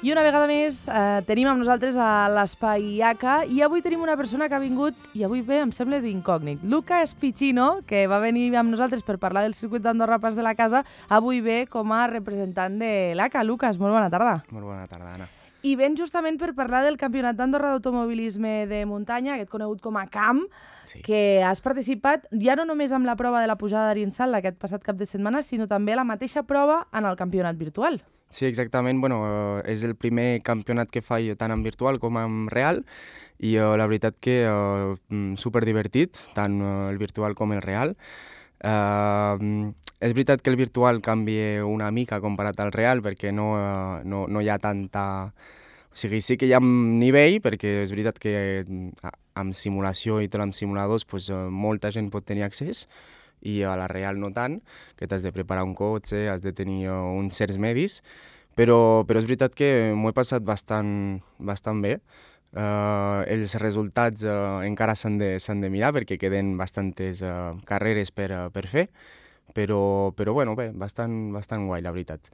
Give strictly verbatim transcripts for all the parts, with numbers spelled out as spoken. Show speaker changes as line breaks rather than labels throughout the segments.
I una vegada més eh, tenim amb nosaltres a l'Espai I A C A i avui tenim una persona que ha vingut, i avui ve, em sembla, d'incògnit. Luca Spicino, que va venir amb nosaltres per parlar del circuit d'Andorra Pas de la Casa, avui ve com a representant de l'A C A. Lucas, molt bona tarda.
Molt bona tarda, Anna.
I ven justament per parlar del Campionat d'Andorra d'Automobilisme de Muntanya, aquest conegut com a CAM,
Sí.
que has participat ja no només amb la prova de la pujada d'Arinsal aquest passat cap de setmana, sinó també a la mateixa prova en el campionat virtual.
Sí, exactament. Bueno, eh, és el primer campionat que faig tant en virtual com en real i eh, la veritat que eh, superdivertit, tant eh, el virtual com el real. Eh, és veritat que el virtual canvia una mica comparat al real perquè no, eh, no, no hi ha tanta... O sigui, sí que hi ha nivell, perquè és veritat que eh, amb simulació i tot amb simuladors pues, eh, molta gent pot tenir accés, i a la real no tant, que t'has de preparar un cotxe, has de tenir uh, uns certs medis, però, però és veritat que m'ho he passat bastant, bastant bé. Uh, els resultats uh, encara s'han de, s'han de mirar perquè queden bastantes uh, carreres per, uh, per fer, però, però bueno, bé, bastant, bastant guai, la veritat.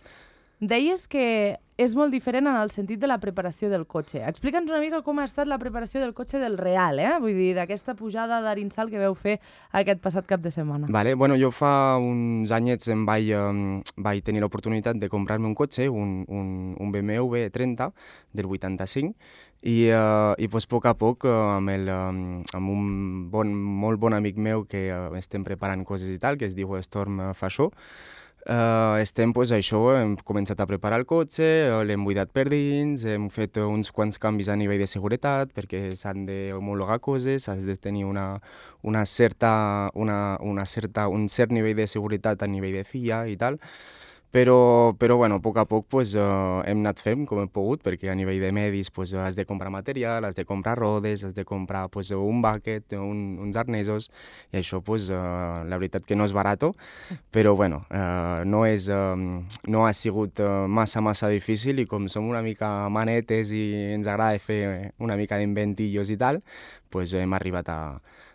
Deies que és molt diferent en el sentit de la preparació del cotxe. Explica'ns una mica com ha estat la preparació del cotxe del real, eh? Vull dir, d'aquesta pujada d'Arinsal que veu fer aquest passat cap de setmana.
Vale, bueno, jo fa uns anyets em vaig, um, vaig tenir l'oportunitat de comprar-me un cotxe, un, un, un B M W trenta del vuitanta-cinc, i, uh, i pues, a poc a poc, uh, amb, el, um, amb un bon, molt bon amic meu que uh, estem preparant coses i tal, que es diu Storm Fashó, Uh, estem, pues, això, hem començat a preparar el cotxe, uh, l'hem buidat per dins, hem fet uh, uns quants canvis a nivell de seguretat perquè s'han d'homologar coses, has de tenir una, una certa, una, una certa, un cert nivell de seguretat a nivell de F I A i tal. Però, però bueno, a poc a poc pues, uh, hem anat fent com hem pogut, perquè a nivell de medis pues, has de comprar material, has de comprar rodes, has de comprar pues, un bucket, un, uns arnesos, i això pues, uh, la veritat que no és barato, però bueno, uh, no, és, uh, no ha sigut uh, massa, massa difícil, i com som una mica manetes i ens agrada fer una mica d'inventillos i tal, pues, hem arribat a,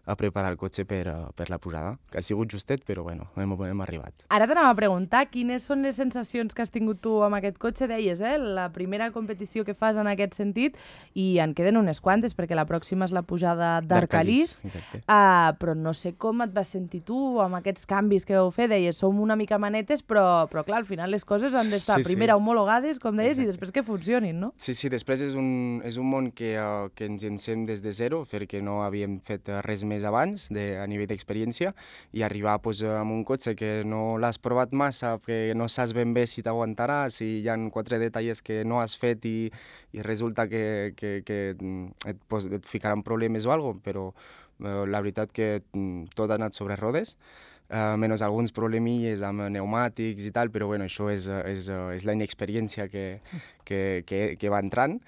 a preparar el cotxe per, uh, per la pujada, que ha sigut justet, però bueno, hem, hem arribat.
Ara t'anava a preguntar quines són les sensacions que has tingut tu amb aquest cotxe. Deies, eh? La primera competició que fas en aquest sentit, i en queden unes quantes, perquè la pròxima és la pujada d'Arcalís. Uh, però no sé com et vas sentir tu amb aquests canvis que vau fer. Deies, som una mica manetes, però, però clar, al final les coses han d'estar
sí,
primer
sí.
homologades, com deies,
Exacte.
i després que funcionin, no?
Sí, sí, després és un, és un món que, uh, que ens encem des de zero, perquè no havíem fet res més abans de, a nivell d'experiència, i arribar pues, amb un cotxe que no l'has provat massa, que no saps ben bé si t'aguantarà, si hi ha quatre detalls que no has fet i, i resulta que, que, que et, pues, et ficaran problemes o alguna cosa, però uh, la veritat que tot ha anat sobre rodes, uh, menys alguns problemilles amb pneumàtics i tal, però bueno, això és, és, és la inexperiència que, que, que, que va entrant.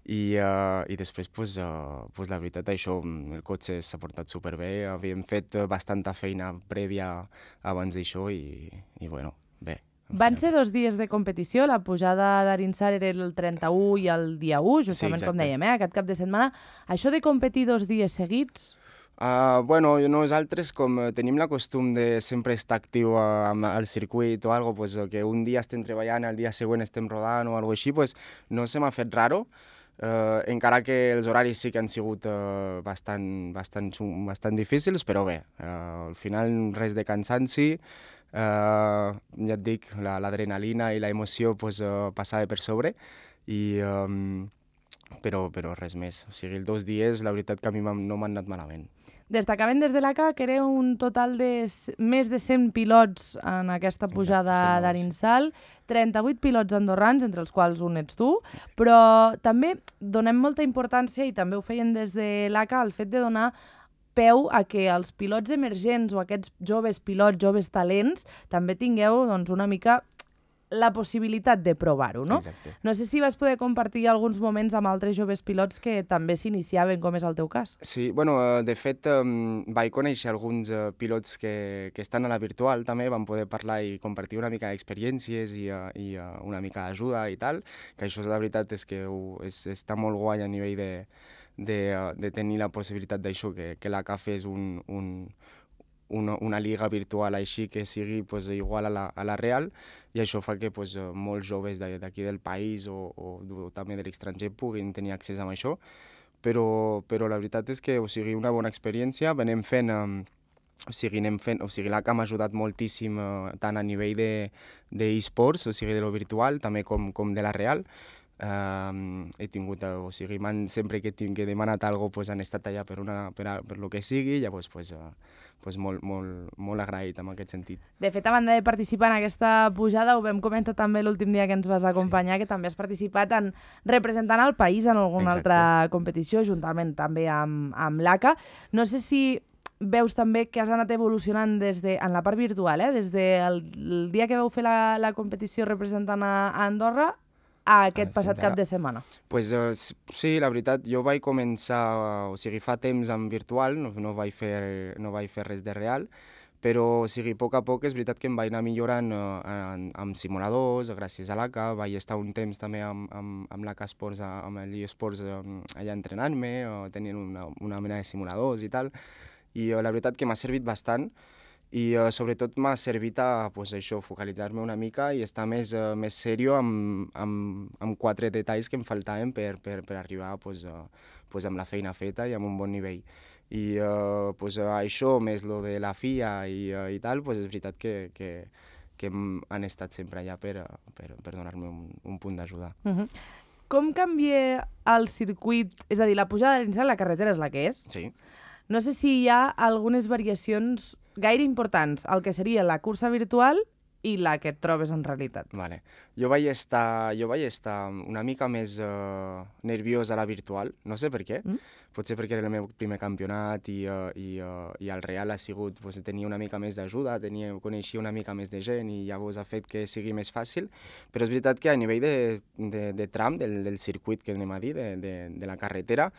I, uh, i després, pues, uh, pues, la veritat, això, el cotxe s'ha portat superbé, havíem fet bastanta feina prèvia abans d'això i, i bueno, bé.
Van ser dos dies de competició, la pujada d'Arinsal era el trenta-u i el dia u, justament
sí,
com dèiem, eh? Aquest cap de setmana. Això de competir dos dies seguits...
Uh, bueno, nosaltres com tenim la costum de sempre estar actiu uh, al circuit o algo, pues, que un dia estem treballant, el dia següent estem rodant o alguna així, pues, no se m'ha fet raro. Uh, encara que els horaris sí que han sigut uh, bastant, bastant, bastant difícils, però bé, uh, al final res de cansanci, uh, ja et dic, l'adrenalina i la emoció pues, uh, passava per sobre, i, um, però, però res més. O sigui, els dos dies la veritat que a mi no m'han anat malament.
Destacaven des de l'A C A que era un total de més de cent pilots en aquesta pujada d'Arinsal, trenta-vuit pilots andorrans, entre els quals un ets tu, però també donem molta importància, i també ho feien des de l'A C A, al fet de donar peu a que els pilots emergents o aquests joves pilots, joves talents, també tingueu doncs, una mica la possibilitat de provar-ho, no?
Exacte.
No sé si vas poder compartir alguns moments amb altres joves pilots que també s'iniciaven, com és el teu cas.
Sí, bueno, de fet, um, vaig conèixer alguns uh, pilots que, que estan a la virtual també, vam poder parlar i compartir una mica d'experiències i, uh, i uh, una mica d'ajuda i tal, que això la veritat és que uh, és, està molt guai a nivell de, de, uh, de tenir la possibilitat d'això, que, que la C A F és un, un, una, una lliga virtual així que sigui pues, igual a la, a la real, i això fa que pues, molts joves d'aquí del país o, o, o també de l'estranger puguin tenir accés a això, però, però la veritat és que o sigui, una bona experiència, venim fent... Um, o sigui, anem fent, o sigui, l'A C A m'ha ajudat moltíssim eh, tant a nivell d'e-sports, o sigui, de lo virtual, també com, com de la real. Uh, he tingut, o sigui, sempre que, tinc, que he demanat alguna cosa, pues, han estat allà per, una, per, a, per lo que sigui, llavors pues, uh, pues, molt, molt, molt agraït en aquest sentit.
De fet, a banda de participar en aquesta pujada, ho vam comentar també l'últim dia que ens vas acompanyar, sí. Que també has participat en representant el país en alguna Exacte. Altra competició, juntament també amb, amb l'A C A. No sé si veus també que has anat evolucionant des de, en la part virtual, eh? Des del el dia que vau fer la, la competició representant a, a Andorra a aquest ah, passat cap de setmana.
Pues, uh, sí, la veritat, jo vaig començar, o sigui, fa temps en virtual, no, no, vaig, fer, no vaig fer res de real, però o sigui, a poc a poc és veritat que em vaig anar millorant uh, en, amb simuladors, gràcies a l'A C A, vaig estar un temps també amb, amb, amb l'A C A Sports, amb l'eSports um, allà entrenant-me, uh, tenint una, una mena de simuladors i tal, i uh, la veritat que m'ha servit bastant i uh, sobretot m'ha servit a pues, això, focalitzar-me una mica i estar més, uh, més serio amb, amb, amb quatre detalls que em faltaven per, per, per arribar pues, uh, pues, amb la feina feta i amb un bon nivell. I uh, pues, uh, això, més lo de la F I A i, uh, i tal, pues, és veritat que, que, que han estat sempre allà per, uh, per, per donar-me un, un punt d'ajuda.
Uh-huh. Com canvia el circuit? És a dir, la pujada de l'Insal, la carretera és la que és?
Sí.
No sé si hi ha algunes variacions gaire importants, el que seria la cursa virtual i la que et trobes en realitat.
Vale. Jo vaig estar, jo vaig estar una mica més uh, nerviós a la virtual, no sé per què. Mm? Potser perquè era el meu primer campionat i, uh, i, uh, i el real ha sigut, pues, tenia una mica més d'ajuda, tenia, coneixia una mica més de gent i llavors ha fet que sigui més fàcil, però és veritat que a nivell de, de, de tram, del, del circuit que anem a dir, de, de, de la carretera,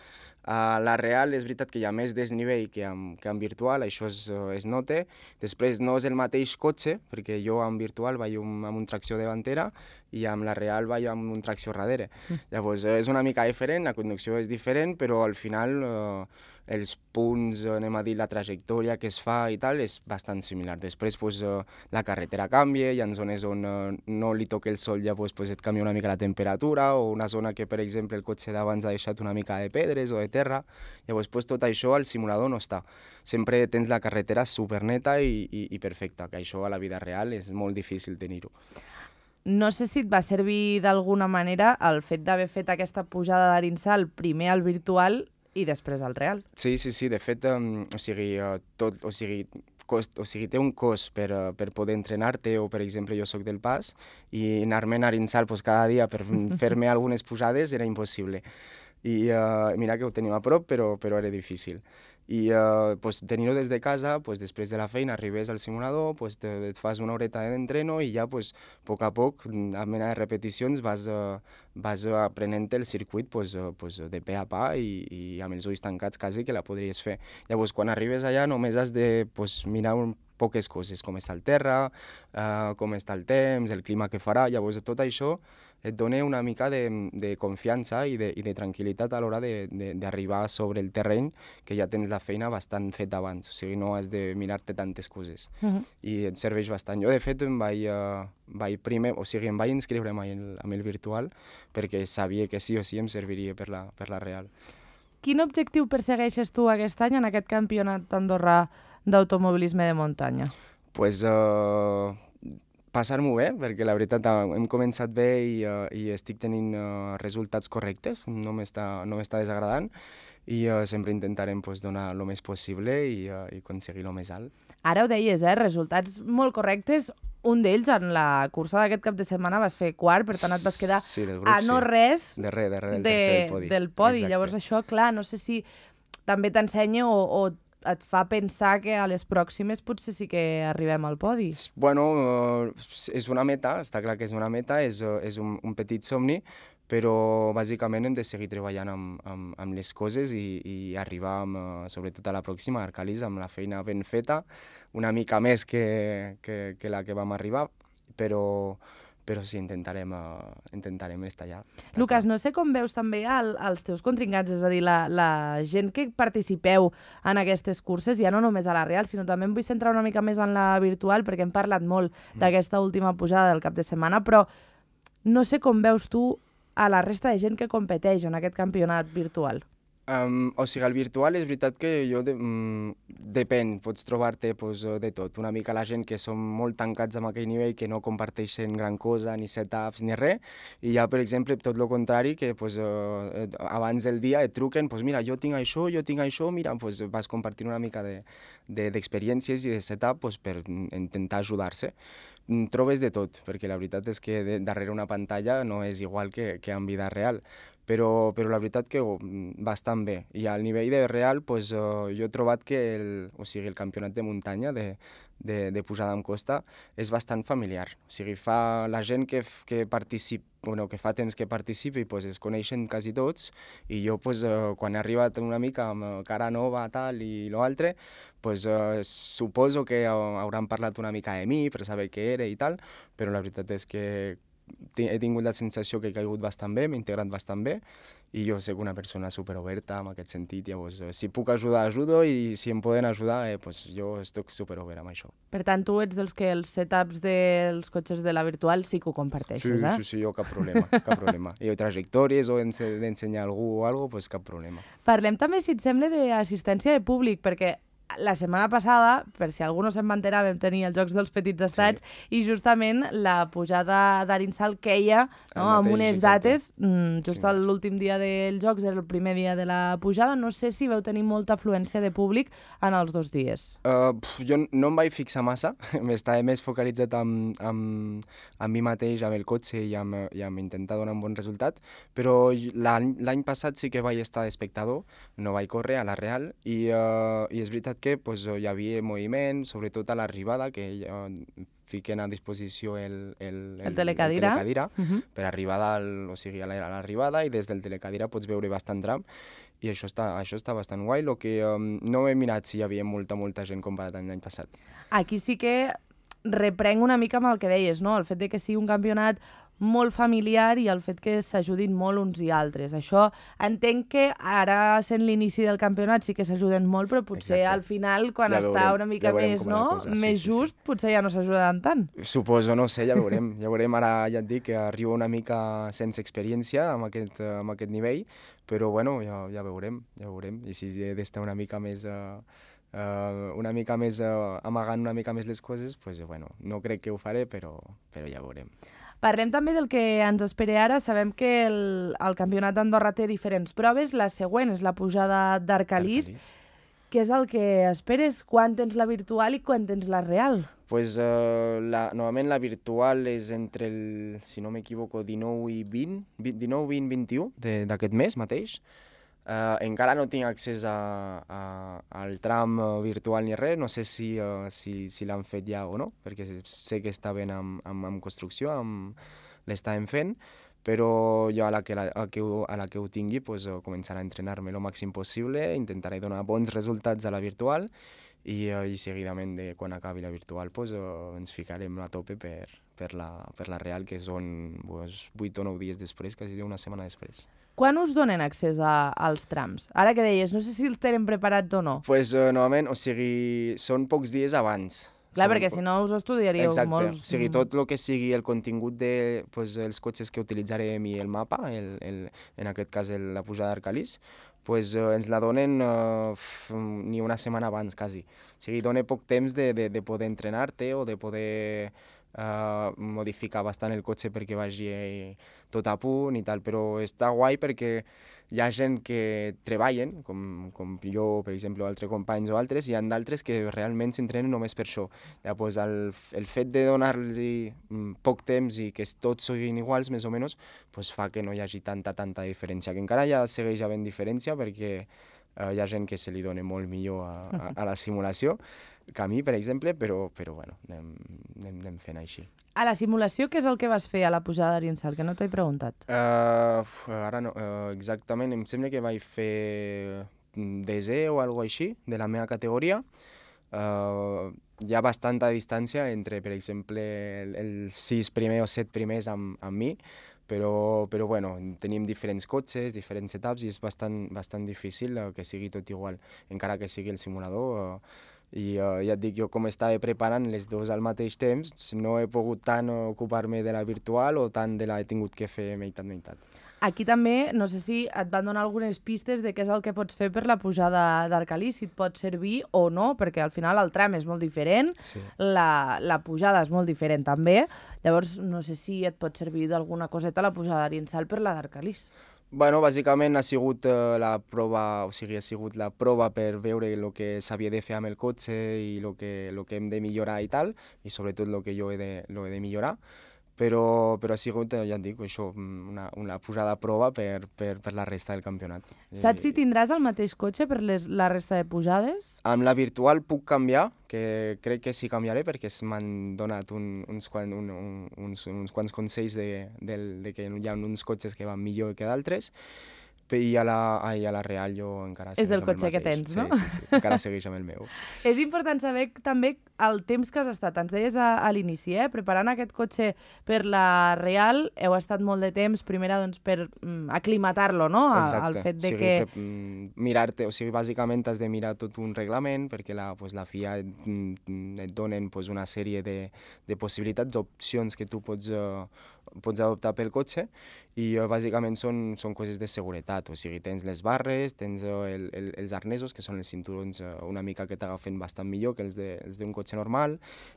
a la real és veritat que hi ha més desnivell que en, que en virtual, això es, es nota. Després no és el mateix cotxe, perquè jo en virtual vaig un, amb un tracció davantera i amb la real vaig amb un tracció darrere. Mm. Llavors és una mica diferent, la conducció és diferent, però al final eh, els punts, anem a dir, la trajectòria que es fa i tal, és bastant similar. Després pues, eh, la carretera canvia, hi ha zones on eh, no li toca el sol, ja pues, pues, et canvia una mica la temperatura, o una zona que, per exemple, el cotxe d'abans ha deixat una mica de pedres o de terra. Llavors pues, tot això al simulador no està. Sempre tens la carretera superneta i, i, i perfecta, que això a la vida real és molt difícil tenir-ho.
No sé si et va servir d'alguna manera el fet d'haver fet aquesta pujada d'Arinsal primer al virtual i després al real.
Sí, sí, sí. De fet, um, o sigui, uh, tot, o sigui, cost, o sigui, té un cost per, uh, per poder entrenar-te, o per exemple jo sóc del Pas, i anar-me a Arinsal pues, cada dia per fer-me algunes pujades era impossible. I uh, mira que ho tenim a prop, però, però era difícil. I uh, pues, tenir-ho des de casa, pues, després de la feina arribes al simulador, pues, te, et fas una horeta d'entreno i ja pues, a poc a poc, a mena de repeticions, vas, uh, vas aprenent el circuit pues, uh, pues, de pe a pa i, i amb els ulls tancats quasi que la podries fer. Llavors, quan arribes allà només has de pues, mirar un poques coses, com està el terra, uh, com està el temps, el clima que farà. Llavors, tot això et dona una mica de, de confiança i de, i de tranquil·litat a l'hora d'arribar sobre el terreny, que ja tens la feina bastant feta abans, o sigui, no has de mirar-te tantes coses. Uh-huh. I et serveix bastant. Jo, de fet, em vaig, uh, vaig primer, o sigui, em vaig inscriure amb el, amb el virtual perquè sabia que sí o sí em serviria per la, per la real.
Quin objectiu persegueixes tu aquest any en aquest campionat andorrà d'automobilisme de muntanya?
Pues... Uh... passar-m'ho bé, perquè la veritat hem començat bé i, uh, i estic tenint uh, resultats correctes, no m'està no m'està desagradant i uh, sempre intentarem pues, donar el més possible i, uh, i aconseguir el més alt.
Ara ho deies, eh? Resultats molt correctes. Un d'ells, en la cursa d'aquest cap de setmana, vas fer quart, per tant et vas quedar
sí, grup,
a no
sí.
res
de res, de res, del,
de,
del podi.
Del podi.
Exacte. Llavors
això, clar, no sé si també t'ensenya o, o et fa pensar que a les pròximes potser sí que arribem al podi.
Bueno, uh, és una meta, està clar que és una meta, és, uh, és un, un petit somni, però bàsicament hem de seguir treballant amb, amb, amb les coses i, i arribar, amb, uh, sobretot a la pròxima, a Arcalis, amb la feina ben feta, una mica més que, que, que la que vam arribar, però, però sí, intentarem, uh, intentarem estar allà.
Lucas, no sé com veus també el, els teus contrincants, és a dir, la, la gent que participeu en aquestes curses, ja no només a la real, sinó també em vull centrar una mica més en la virtual, perquè hem parlat molt mm. d'aquesta última pujada del cap de setmana, però no sé com veus tu a la resta de gent que competeix en aquest campionat virtual.
Um, o sigui, el virtual és veritat que jo de, mm, depèn, pots trobar-te pues, de tot. Una mica la gent que són molt tancats amb aquell nivell, que no comparteixen gran cosa, ni setups, ni res, i hi ha, per exemple, tot el contrari, que pues, uh, abans del dia et truquen, pues, mira, jo tinc això, jo tinc això, mira, pues, vas compartir una mica d'experiències de, de, i de setup pues, per intentar ajudar-se. Trobes de tot, perquè la veritat és que de, darrere una pantalla no és igual que, que en vida real. Però, però la veritat que oh, bastant bé. I al nivell de real, pues, uh, jo he trobat que el, o sigui, el campionat de muntanya, de, de, de pujada amb costa, és bastant familiar. O sigui, fa la gent que, que participa, bueno, que fa temps que participi, pues, es coneixen quasi tots, i jo, pues, uh, quan he arribat una mica amb cara nova, tal, i l'altre, pues, uh, suposo que hauran parlat una mica de mi per saber què era i tal, però la veritat és que he tingut la sensació que he caigut bastant bé, m'he integrat bastant bé, i jo soc una persona superoberta en aquest sentit. Llavors, si puc ajudar, ajudo, i si em poden ajudar, eh, pues jo estic superobert amb això.
Per tant, tu ets dels que els setups dels cotxes de la virtual sí que ho comparteixes,
sí,
eh?
Sí, sí, jo cap problema, cap problema. I trajectòries o d'ensenyar a algú o alguna cosa, pues cap problema.
Parlem també, si et sembla, d'assistència de públic, perquè la setmana passada, per si algú no se'n va enterar, vam tenir els Jocs dels Petits Estats, sí. I justament la pujada d'Arinsal queia, no, mateix, amb unes dates, mm, just sí. L'últim dia dels Jocs era el primer dia de la pujada. No sé si vau tenir molta afluència de públic en els dos dies.
Uh, pf, jo no em vaig fixar massa, estava més focalitzat amb, amb, amb mi mateix, amb el cotxe i amb, i amb intentar donar un bon resultat, però l'any passat sí que vaig estar d'espectador, no vaig córrer a la Real, i, uh, i és veritat que pues, hi havia moviment, sobretot a l'arribada, que ja fiquen a disposició el, el, el,
el telecadira,
el telecadira
uh -huh.
per arribar al, o sigui, a l'arribada, i des del telecadira pots veure bastant tram, i això està, això està bastant guai. Lo que um, no he mirat si hi havia molta, molta gent comparat amb l'any passat.
Aquí sí que reprenc una mica amb el que deies, no? El fet de que sigui un campionat molt familiar i el fet que s'ajudin molt uns i altres. Això entenc que ara, sent l'inici del campionat, sí que s'ajuden molt, però potser Exacte. Al final, quan ja està veurem, una mica ja més, no? Sí, més sí, just, sí. Potser ja no s'ajuden tant.
Suposo, no sé, ja veurem. Ja veurem, ara ja et dic que arriba una mica sense experiència amb aquest, amb aquest nivell, però bueno, ja, ja veurem, ja veurem. I si he d'estar una mica més... Uh, Uh, una mica més, uh, amagant una mica més les coses, pues, bueno, no crec que ho faré, però, però ja veurem.
Parlem també del que ens espera ara. Sabem que el, el Campionat d'Andorra té diferents proves. La següent és la pujada d'Arcalís. Què és el que esperes? Quan tens la virtual i quan tens la real?
Pues, uh, la, normalment la virtual és entre el, si no m'equivoco, dinou i vint, dinou, vint, vint-i-u d'aquest mes mateix. Uh, encara no tinc accés a, a, al tram uh, virtual ni res, no sé si, uh, si, si l'han fet ja o no, perquè sé que està ben en, en, en construcció, l'estàvem fent, però jo a la que, la, a que, a la que ho tingui pues, uh, començaré a entrenar-me el màxim possible, intentaré donar bons resultats a la virtual, i, uh, i seguidament, de, quan acabi la virtual, pues, uh, ens ficarem a tope per, per, la, per la real, que són pues, vuit o nou dies després, quasi una setmana després.
Quan us donen accés a, als trams? Ara que deies, no sé si els tenen preparats o no.
Pues, uh, normalment, o sigui, són pocs dies abans.
Clar,
són...
perquè si no us ho estudiaríeu
Exacte.
molts...
Exacte, o sigui, tot el que sigui el contingut de pues, els cotxes que utilitzarem i el mapa, el, el, en aquest cas el, la pujada d'Arcalís, pues, uh, ens la donen uh, ni una setmana abans, quasi. O sigui, dona poc temps de, de, de poder entrenar-te o de poder uh, modificar bastant el cotxe perquè vagi tot a punt i tal, però està guai perquè hi ha gent que treballen, com, com jo, per exemple, o altres companys o altres, i hi ha d'altres que realment s'entrenen només per això. Llavors, el, el fet de donar-los poc temps i que tots siguin iguals, més o menys, pues fa que no hi hagi tanta, tanta diferència, que encara ja segueix havent diferència perquè uh, hi ha gent que se li dona molt millor a, a, a la simulació que a mi, per exemple, però, però bueno, anem, anem, anem fent així.
A la simulació, què és el que vas fer a la pujada d'Arinsal? Que no t'he preguntat.
Uh, ara no, uh, exactament, em sembla que vaig fer desè o alguna així, de la meva categoria. uh, hi ha bastanta distància entre, per exemple, el- els sis primers o set primers amb, amb mi, però, però bueno, tenim diferents cotxes, diferents setups i és bastant, bastant difícil uh, que sigui tot igual, encara que sigui el simulador. Uh, I uh, ja et dic, jo com estava preparant les dues al mateix temps, no he pogut tant ocupar-me de la virtual o tant de la he tingut que fer meitat-meitat.
Aquí també, no sé si et van donar algunes pistes de què és el que pots fer per la pujada d'Arcalís, si et pot servir o no, perquè al final el tram és molt diferent,
Sí.
la, la pujada és molt diferent també, llavors no sé si et pot servir d'alguna coseta la pujada d'Arinsal per la d'Arcalís.
Bueno, bàsicament ha sigut eh, la prova, o sigui, ha sigut la prova per veure el que s'havia de fer amb el cotxe i el que, lo que hem de millorar i tal, i sobretot el que jo he de, lo he de millorar. Però, però ha sigut, eh, ja et dic, això, una, una posada a prova per, per, per la resta del campionat.
Saps si
I,
tindràs el mateix cotxe per les, la resta de pujades?
amb la virtual puc canviar, que crec que sí canviaré perquè m'han donat un, uns, quan, un, un, uns, uns quants consells de, del, de que hi ha uns cotxes que van millor que d'altres, i a la, ai, a la Real jo encara
És
segueix
el
amb
cotxe que
mateix.
tens, no?
Sí, sí, sí, encara segueix amb el meu.
És important saber també el temps que has estat. Ens deies a, a l'inici, eh? Preparant aquest cotxe per la Real, heu estat molt de temps, primera doncs, per mm, aclimatar-lo, no? A, al
Exacte.
fet de
o sigui,
que...
pre- mm, mirar-te, o sigui, bàsicament has de mirar tot un reglament perquè la, pues, la F I A et, mm, et donen pues, una sèrie de, de possibilitats, d'opcions que tu pots, uh, pots adoptar pel cotxe i uh, bàsicament són, són coses de seguretat, o sigui, tens les barres, tens uh, el, el, els arnesos, que són els cinturons uh, una mica que t'agafen bastant millor que els de- els d'un cotxe normal,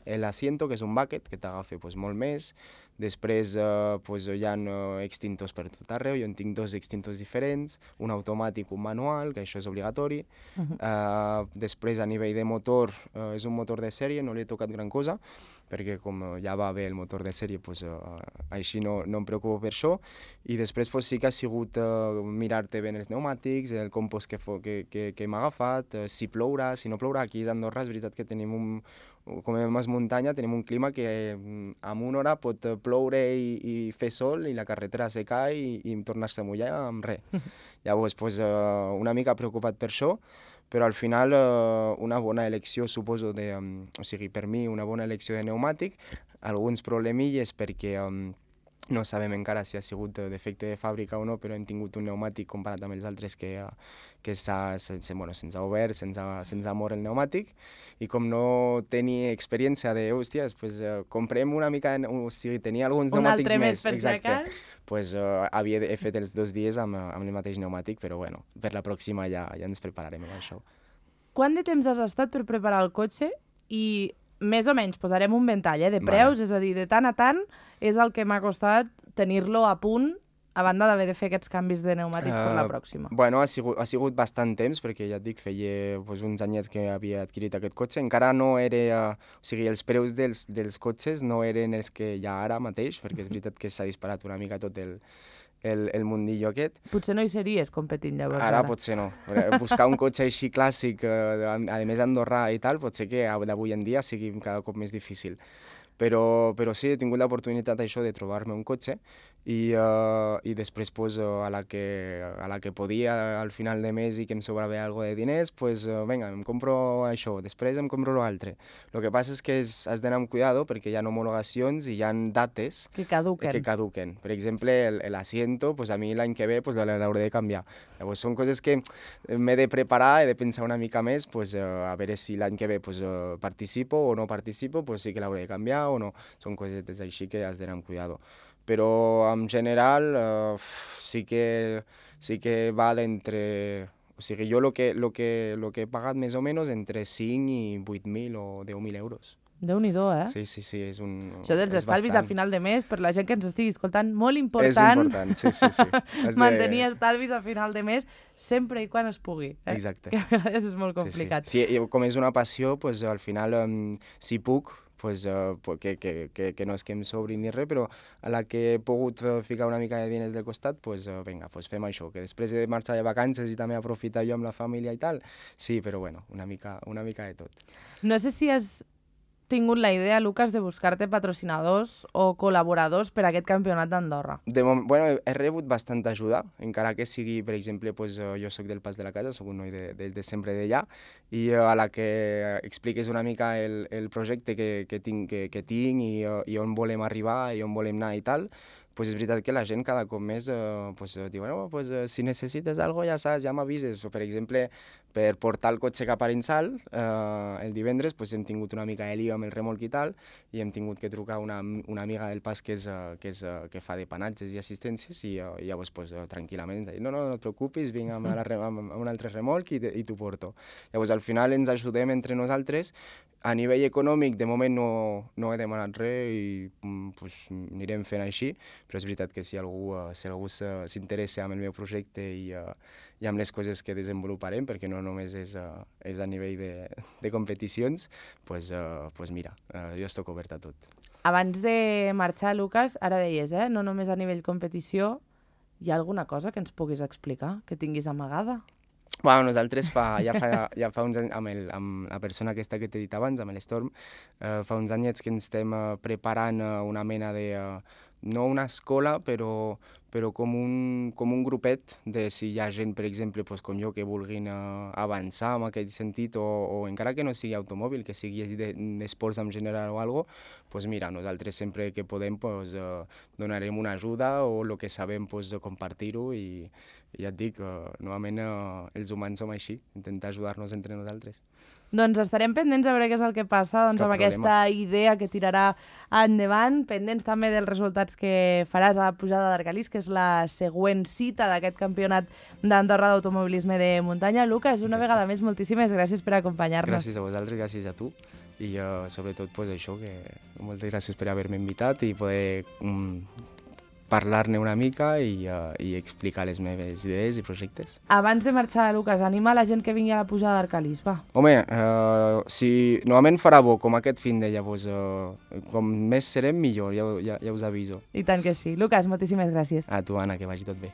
l'asiento, que és un bucket, que t'agafa pues, molt més. Després eh, pues, hi ha uh, extintors per tot arreu, jo en tinc dos extintors diferents, un automàtic, un manual, que això és obligatori.
Uh -huh.
Uh, després, a nivell de motor, uh, és un motor de sèrie, no li he tocat gran cosa, perquè com uh, ja va bé el motor de sèrie, pues, uh, així no, no em preocupo per això. I després pues, sí que ha sigut uh, mirar-te bé els pneumàtics, el compost que, fo, que, que, que m'ha agafat, uh, si plourà, si no plourà. Aquí a Andorra és veritat que tenim un, com a més muntanya, tenim un clima que en una hora pot ploure i, i fer sol i la carretera secar i, i tornar-se a mullar amb res. Llavors, pues, uh, una mica preocupat per això, però al final uh, una bona elecció, suposo, de, um, o sigui, per mi una bona elecció de pneumàtic, alguns problemilles perquè um, no sabem encara si ha sigut defecte de fàbrica o no, però hem tingut un pneumàtic comparat amb els altres que, uh, que s'ha, se, bueno, se'ns ha obert, se'ns ha, se'ns ha mort el pneumàtic, i com no tenia experiència de, hòsties, pues, uh, comprem una mica, o sigui, tenia alguns
Un
pneumàtics
altre més,
més,
per si
exacte,
acas.
pues, uh, havia de, he fet els dos dies amb, amb el mateix pneumàtic, però bueno, per la pròxima ja, ja ens prepararem amb això.
Quant de temps has estat per preparar el cotxe i més o menys posarem un ventall eh, de
Vale.
preus, és a dir, de tant a tant és el que m'ha costat tenir-lo a punt a banda d'haver de fer aquests canvis de pneumàtics uh, per la pròxima.
Bueno, ha sigut, ha sigut bastant temps, perquè ja et dic, feia pues, uns anyets que havia adquirit aquest cotxe. Encara no era... Uh, o sigui, els preus dels, dels cotxes no eren els que hi ha ara mateix, perquè és veritat que s'ha disparat una mica tot el, el, el mundillo aquest.
Potser no hi series competint llavors.
Ara,
Ara
potser no. Buscar un cotxe així clàssic, eh, a, a més andorrà i tal, potser que d'avui en dia sigui cada cop més difícil. Però, però sí, he tingut l'oportunitat això de trobar-me un cotxe i, uh, i després pues, uh, a, la que, a la que podia al final de mes i que em sobrava algo de diners, pues, uh, vinga, em compro això, després em compro l'altre. El que passa és que és, has d'anar amb cuidado perquè hi ha homologacions i hi ha dates
que caduquen.
que caduquen. Per exemple, el, el asiento, pues, a mi l'any que ve pues, l'hauré de canviar. Llavors, són coses que m'he de preparar, he de pensar una mica més, pues, uh, a veure si l'any que ve pues, uh, participo o no participo, pues, sí que l'hauré de canviar o no. Són cosetes així que has d'anar amb cuidado. Però en general uh, sí, que, sí que va d'entre... O sigui, jo el que, lo que, lo que he pagat més o menys entre cinc i vuit mil o deu mil euros.
Déu-n'hi-do, eh?
Sí, sí, sí, és un...
Això dels
és
estalvis
bastant.
a final de mes, per la gent que ens estigui escoltant, molt important.
És important, sí, sí, sí. Has de...
Mantenir estalvis a final de mes sempre i quan es pugui. Eh?
Exacte.
Que a vegades és molt complicat.
Sí, sí. sí, com és una passió, pues, al final, um, si puc, pues, uh, que, que, que, que no és que em sobri ni res, però a la que he pogut ficar una mica de diners del costat, pues, uh, vinga, pues fem això, que després de marxar de vacances i també aprofitar jo amb la família i tal, sí, però bueno, una mica, una mica de tot.
No sé si has tingut la idea, Lucas, de buscar-te patrocinadors o col·laboradors per a aquest campionat d'Andorra?
De moment, bueno, he rebut bastanta ajuda, encara que sigui, per exemple, pues, uh, jo sóc del Pas de la Casa, sóc un noi de, de, de sempre d'allà, i uh, a la que expliques una mica el, el projecte que, que tinc, que, que tinc i, uh, i on volem arribar i on volem anar i tal, pues és veritat que la gent cada cop més eh, pues, diu, no, pues, eh, si necessites alguna cosa ja saps, ja m'avises. Per exemple, per portar el cotxe cap a Arinsal, eh, el divendres pues, hem tingut una mica de lío amb el remolc i tal, i hem tingut que trucar una, una amiga del Pas que, és, uh, que, és, uh, que fa depanatges i assistències, i, uh, i llavors pues, uh, tranquil·lament dir, no, no, no et preocupis, vinc amb, la, amb, amb un altre remolc i, i t'ho porto. Llavors al final ens ajudem entre nosaltres. A nivell econòmic, de moment no, no he demanat res i pues, anirem fent així, però és veritat que si algú, uh, si algú s'interessa en el meu projecte i, uh, i amb les coses que desenvoluparem, perquè no només és, uh, és a nivell de, de competicions, pues, uh, pues mira, uh, jo estic obert a tot.
Abans de marxar, Lucas, ara deies, eh? No només a nivell competició, hi ha alguna cosa que ens puguis explicar, que tinguis amagada?
Bueno, nosaltres fa, ja, fa, ja fa uns anys, amb, el, amb la persona aquesta que t'he dit abans, amb l'Storm, eh, fa uns anyets que ens estem eh, preparant eh, una mena de... Eh, no una escola, però, però com, un, com un grupet de si hi ha gent, per exemple, pues, com jo, que vulguin uh, avançar en aquest sentit, o, o encara que no sigui automòbil, que sigui d'esports de, en general o alguna cosa, pues mira, nosaltres sempre que podem pues, uh, donarem una ajuda o el que sabem pues, compartir-ho i, i ja et dic, uh, novament uh, els humans som així, intentar ajudar-nos entre nosaltres.
Doncs estarem pendents a veure què és el que passa doncs, amb aquesta idea que tirarà endavant, pendents també dels resultats que faràs a la pujada d'Arcalís, que és la següent cita d'aquest campionat d'Andorra d'automobilisme de muntanya. Lucas, una Exacte. vegada més, moltíssimes gràcies per acompanyar-nos.
Gràcies a vosaltres, gràcies a tu, i uh, sobretot pues, això, que moltes gràcies per haver-me invitat i poder um, parlar-ne una mica i, uh, i explicar les meves idees i projectes.
Abans de marxar, Lucas, anima la gent que vingui a la pujada d'Arcalís, va.
Home, uh, si normalment farà bo com aquest fin de llavors, uh, com més serem millor, ja, ja, ja us aviso.
I tant que sí. Lucas, moltíssimes gràcies.
A tu, Anna, que vagi tot bé.